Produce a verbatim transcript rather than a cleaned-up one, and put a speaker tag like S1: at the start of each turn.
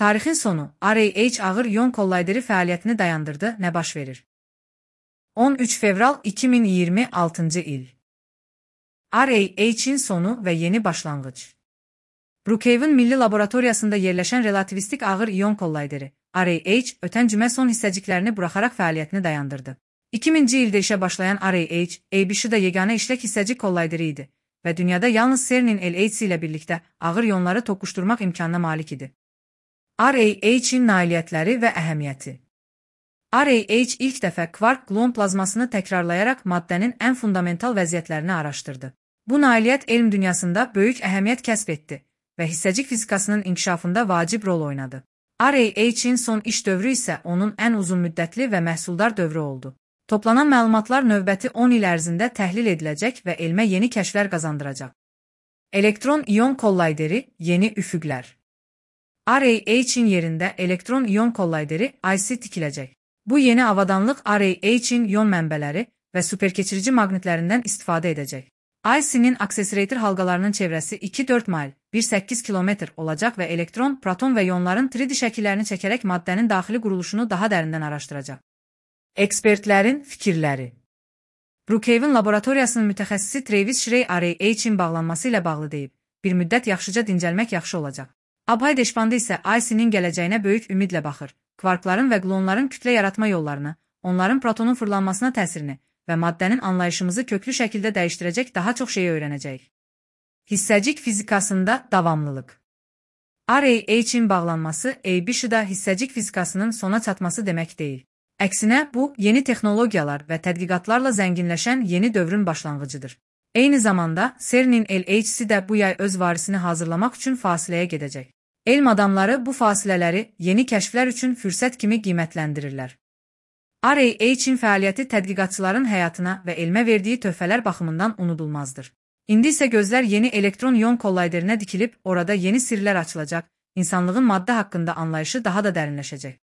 S1: Tarixin sonu, R A H ağır iyon kollayderi fəaliyyətini dayandırdı, nə baş verir? on üç fevral iki min iyirmi altıncı il. R A H'in sonu və yeni başlanğıc. Brookhaven Milli Laboratoriyasında yerləşən relativistik ağır iyon kollayderi, R A H, ötən cümə son hissəciklərini buraxaraq fəaliyyətini dayandırdı. iki minci ildə işə başlayan R A H, A B Ş-da yeganə işlək hissəcik kollayderi idi və dünyada yalnız CERN-in L H C ilə birlikdə ağır iyonları toqquşdurmaq imkanına malik idi. R A H-in nailiyyətləri və əhəmiyyəti. R A H ilk dəfə kvark-gluon plazmasını təkrarlayaraq maddənin ən fundamental vəziyyətlərini araşdırdı. Bu nailiyyət elm dünyasında böyük əhəmiyyət kəsb etdi və hissəcik fizikasının inkişafında vacib rol oynadı. R A H-in son iş dövrü isə onun ən uzun müddətli və məhsuldar dövrü oldu. Toplanan məlumatlar növbəti on il ərzində təhlil ediləcək və elmə yeni kəşflər qazandıracaq. Elektron-iyon kollayderi, yeni üfüqlər. R A H-in yerində elektron-iyon kollayderi I C tikiləcək. Bu yeni avadanlıq R A H-in iyon mənbələri və superkeçirici maqnitlərindən istifadə edəcək. I C-nin akselerator halqalarının çevrəsi iki dörd mayl, bir səkkiz kilometr olacaq və elektron, proton və iyonların üç D şəkillərini çəkərək maddənin daxili quruluşunu daha dərindən araşdıracaq. Ekspertlərin fikirləri. Brookhaven Laboratoriyasının mütəxəssisi Travis Shrey R A H-in bağlanması ilə bağlı deyib, bir müddət yaxşıca dincəlmək yaxşı olacaq. Abhay Deshpande isə I C-nin gələcəyinə böyük ümidlə baxır. Kvarkların və qlonların kütlə yaratma yollarını, onların protonun fırlanmasına təsirini və maddənin anlayışımızı köklü şəkildə dəyişdirəcək daha çox şeyi öyrənəcəyik. Hissəcik fizikasında davamlılıq. R A H-in bağlanması A B Ş-da hissəcik fizikasının sona çatması demək deyil. Əksinə, bu, yeni texnologiyalar və tədqiqatlarla zənginləşən yeni dövrün başlanğıcıdır. Eyni zamanda, CERN-in L H C də bu yay öz varisini hazırlamaq üçün fasiləyə gedəcək. Elm adamları bu fasilələri yeni kəşflər üçün fürsət kimi qiymətləndirirlər. R A H-in fəaliyyəti tədqiqatçıların həyatına və elmə verdiyi töhfələr baxımından unudulmazdır. İndi isə gözlər yeni elektron-iyon kollayderinə dikilib, orada yeni sirlər açılacaq, insanlığın maddə haqqında anlayışı daha da dərinləşəcək.